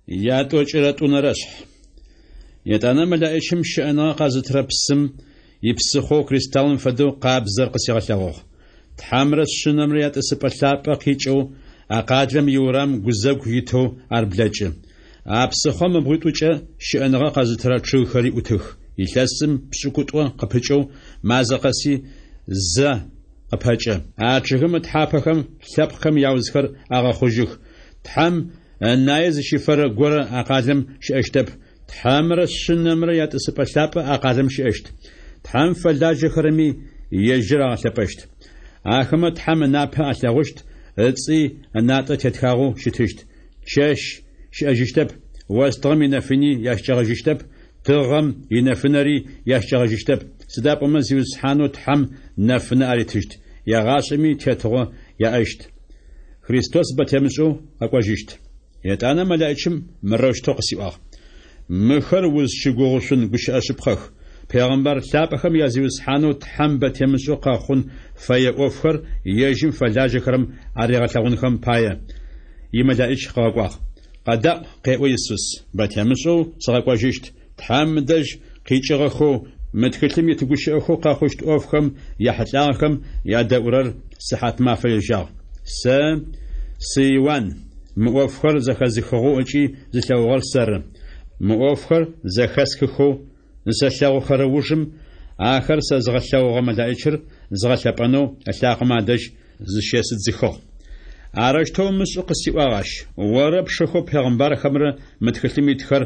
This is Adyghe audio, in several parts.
Ятӏокӏырэ тӏунэрэ шъхь. Етӏанэ мэлаӏичым щыӏэныгъэ къэзытырэ псым ипсыхъоу кристаллым фэдэу къабзэр къысигъэлъэгъугъ. Тхьэмрэ Шъынэмрэ ятӏысыпӏэ лъапӏэ къикӏэу а къалэм иурам гузэгу итэу ар блэкӏы. А псыхъом ыбгъуитӏукӏэ щыӏэныгъэ къэзытырэ чъыгхэри ӏутых. Илъэсым пшӏыкӏутӏо къыпыкӏэу мазэ къэси зэ къыпэкӏэ. А чъыгым ытхьапэхэм лъэпкъхэм яузхэр агъэхъужьых. Тхьэм ынае зыщыфэрэ горэ а къалэм щыӏэщтэп, Тхьэмрэ Шъынэмрэ ятӏысыпӏэ лъапӏэ а къалэм щыӏэщт. Тхьэм фэлажьэхэрэми ежьыр агъэлъэпӏэщт. Ахэмэ Тхьэм ынапэ алъэгъущт, ыцӏи ынатӏэ тетхагъэу щытыщт. Чэщ щыӏэжьыщтэп, остыгъэм инэфыни ящыкӏэгъэжьыщтэп, тыгъэм инэфынэри ящыкӏэгъэжьыщтэп, сыда пӏомэ Зиусхьанэу Тхьэм нэфынэ аритыщт, егъашӏэми тетыгъо яӏэщт. Христос бэ темышӏэу къэкӏожьыщт. Етӏанэ мэлаӏичым мырэущтэу къысиӏуагъ: Мыхэр узщыгугъышъун гущыӏэ шъыпкъэх. Пегъэмбар лъапӏэхэм я Зиусхьанэу Тхьэм бэ темышӏэу къэхъун фэе ӏофхэр ежьым фэлажьэхэрэм аригъэлъэгъунхэм пае, имэлаӏич къыгъэкӏуагъ. Къэдаӏу, къеӏо Исус, бэ темышӏэу сыкъэкӏожьыщт, Тхьэм ыдэжь къикӏыгъэхэу мы тхылъым ит гущыӏэхэу къэхъущт ӏофхэм яхьылӏагъэхэм ядэӏурэр сыхьатмафэ ежьагъ. Сэ сы Иуан, мы ӏофхэр зэхэзыхыгъэу ыкӏи зылъэгъугъэр сэры. Мы ӏофхэр зэхэсхыхэу зысэлъэгъухэрэ ужым ахэр сэзыгъэлъэгъугъэ мэлаӏичыр згъэлъэпӏэнэу ылъакъомэ адэжь зыщесыдзыхыгъ. Арэущтэу умышӏы къысиӏуагъ ащ, орэ пшыхэу пегъымбархэмрэ мы тхылъым итхэр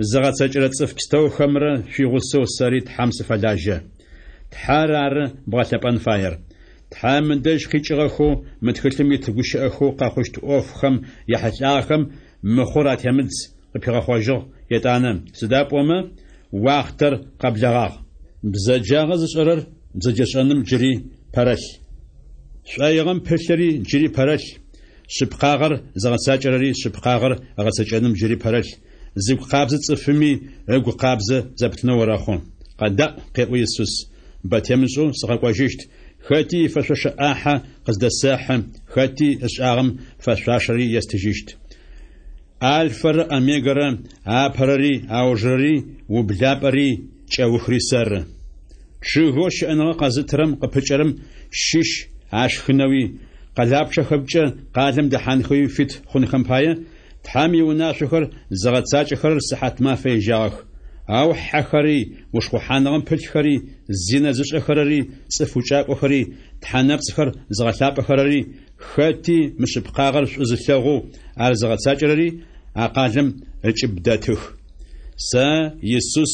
зыгъэцэкӏэрэ цӏыф пстэухэмрэ шъуигъусэу сэри Тхьэм сыфэлажьэ. Тхьэр ары бгъэлъэпӏэн фаер. Тхьэм ыдэжь къикӏыгъэхэу мы тхылъым ит гущыӏэхэу къэхъущт ӏофхэм яхьылӏагъэхэм мыхъур атемыдз, къыпигъэхъожьыгъ етӏанэ, сыда пӏомэ уахътэр къэблэгъагъ. Бзэджагъэ зышӏэрэр бзэджэшӏэным джыри пэрэлъ. Шӏоигъэм пылъыри джыри пэрэлъ, шъыпкъагъэр зыгъэцакӏэрэри шъыпкъагъэр ыгъэцэкӏэным джыри пэрэлъ, зыгу къабзэ цӏыфыми ыгу къабзэ зэпытынэу орэхъу. Къэдаӏу, къеӏо Исус, бэ темышӏэу сыкъэкӏожьыщт, хэти ифэшъошэ ӏахьэ къыздэсэхьы, хэти ышӏагъэм фэшъуашэри естыжьыщт. Альфэрэ Омегэрэ, апэрэри аужырэри, ублапӏэри кӏэухри сэры. Чъыгэу щыӏэныгъэ къэзытырэм къыпыкӏэрэм щыщ ашхынэуи, къэлапчъэхэмкӏэ къалэм дэхьанхэуи фит хъунхэм пае, Тхьэм иунашъохэр зыгъэцакӏэхэрэр сыхьатмафэ ежьагъэх. Ау хьэхэри, ушхъухьаныгъэм пылъхэри, зинэ зышӏэхэрэри, цӏыф укӏакӏохэри, тхьэ нэпцӏхэр зыгъэлъапӏэхэрэри, Хэти мышъыпкъагъэр шӏу зылъэгъоу ар зыгъэцакӏэрэри а къалэм ыкӏыб дэтых. Сэ, Исус,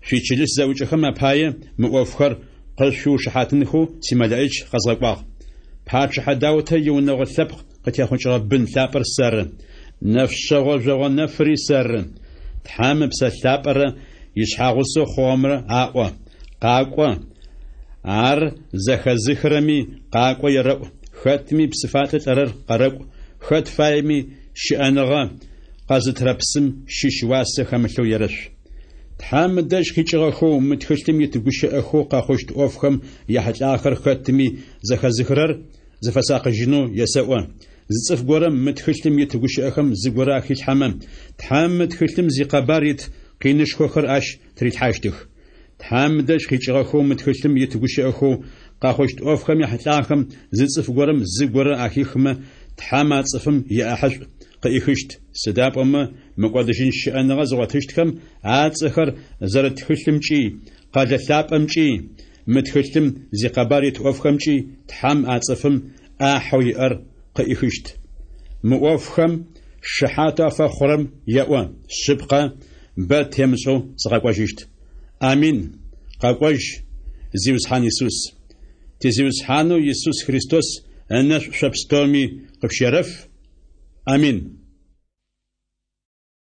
шъуичылыс зэӏукӏэхэм апае мы ӏофхэр къышъуиушыхьатынхэу симэлэӏич къэзгъэкӏуагъ. Пачъыхьэ Даутэ иунэгъо лъэпкъ къытехъукӏыгъэ бын лъапӏэр сэры, нэфшъэгъо жъогъо нэфыри сэры. Тхьэм Ыпсэ Лъапӏэрэ ишъхьагъусэу хъугъэмрэ аӏо, Къакӏо! Ар зэхэзыхырэми къакӏо ерэӏу, хэтми псыфалӏэ лӏэрэр къэрэкӏу, хэт фаеми щыӏэныгъэ къэзытырэ псым щыщ уасэ хэмылъэу ерэшъу. Тхьэм ыдэжь къикӏыгъэхэу мы тхылъым ит гущыӏэхэу къэхъущт ӏофхэм яхьылӏагъэхэр хэтми зэхэзыхырэр зыфэсакъыжьынэу есэӏо. Зы цӏыф горэм мы тхылъым ит гущыӏэхэм зыгорэ ахилъхьэмэ, Тхьэм мы тхылъым зикъэбар ит къинышхохэр ащ тырилъхьащтых. Тхьэм ыдэжь къикӏыгъэхэу мы тхылъым ит гущыӏэхэу къэхъущт ӏофхэм яхьылӏагъэхэм зы цӏыф горэм зыгорэ ахихмэ, Тхьэм а цӏыфым иӏахьышӏу къыӏихыщт, сыда пӏомэ мыкӏодыжьын щыӏэныгъэ зыгъотыщтхэм ацӏэхэр зэрыт тхылъымкӏи, къэлэ лъапӏэмкӏи, мы тхылъым зикъэбар ит ӏофхэмкӏи Тхьэм а цӏыфым ӏахьэу иӏэр къыӏихыщт. Мы ӏофхэм шыхьатэу афэхъурэм еӏо, Шъыпкъэ, бэ темышӏэу сыкъэкӏожьыщт. Амин! Къэкӏожь, Зиусхьан Исус! Ти Зиусхьанэу Исус Христос ынэшӏу шъо пстэуми къышъущерэф. Амин!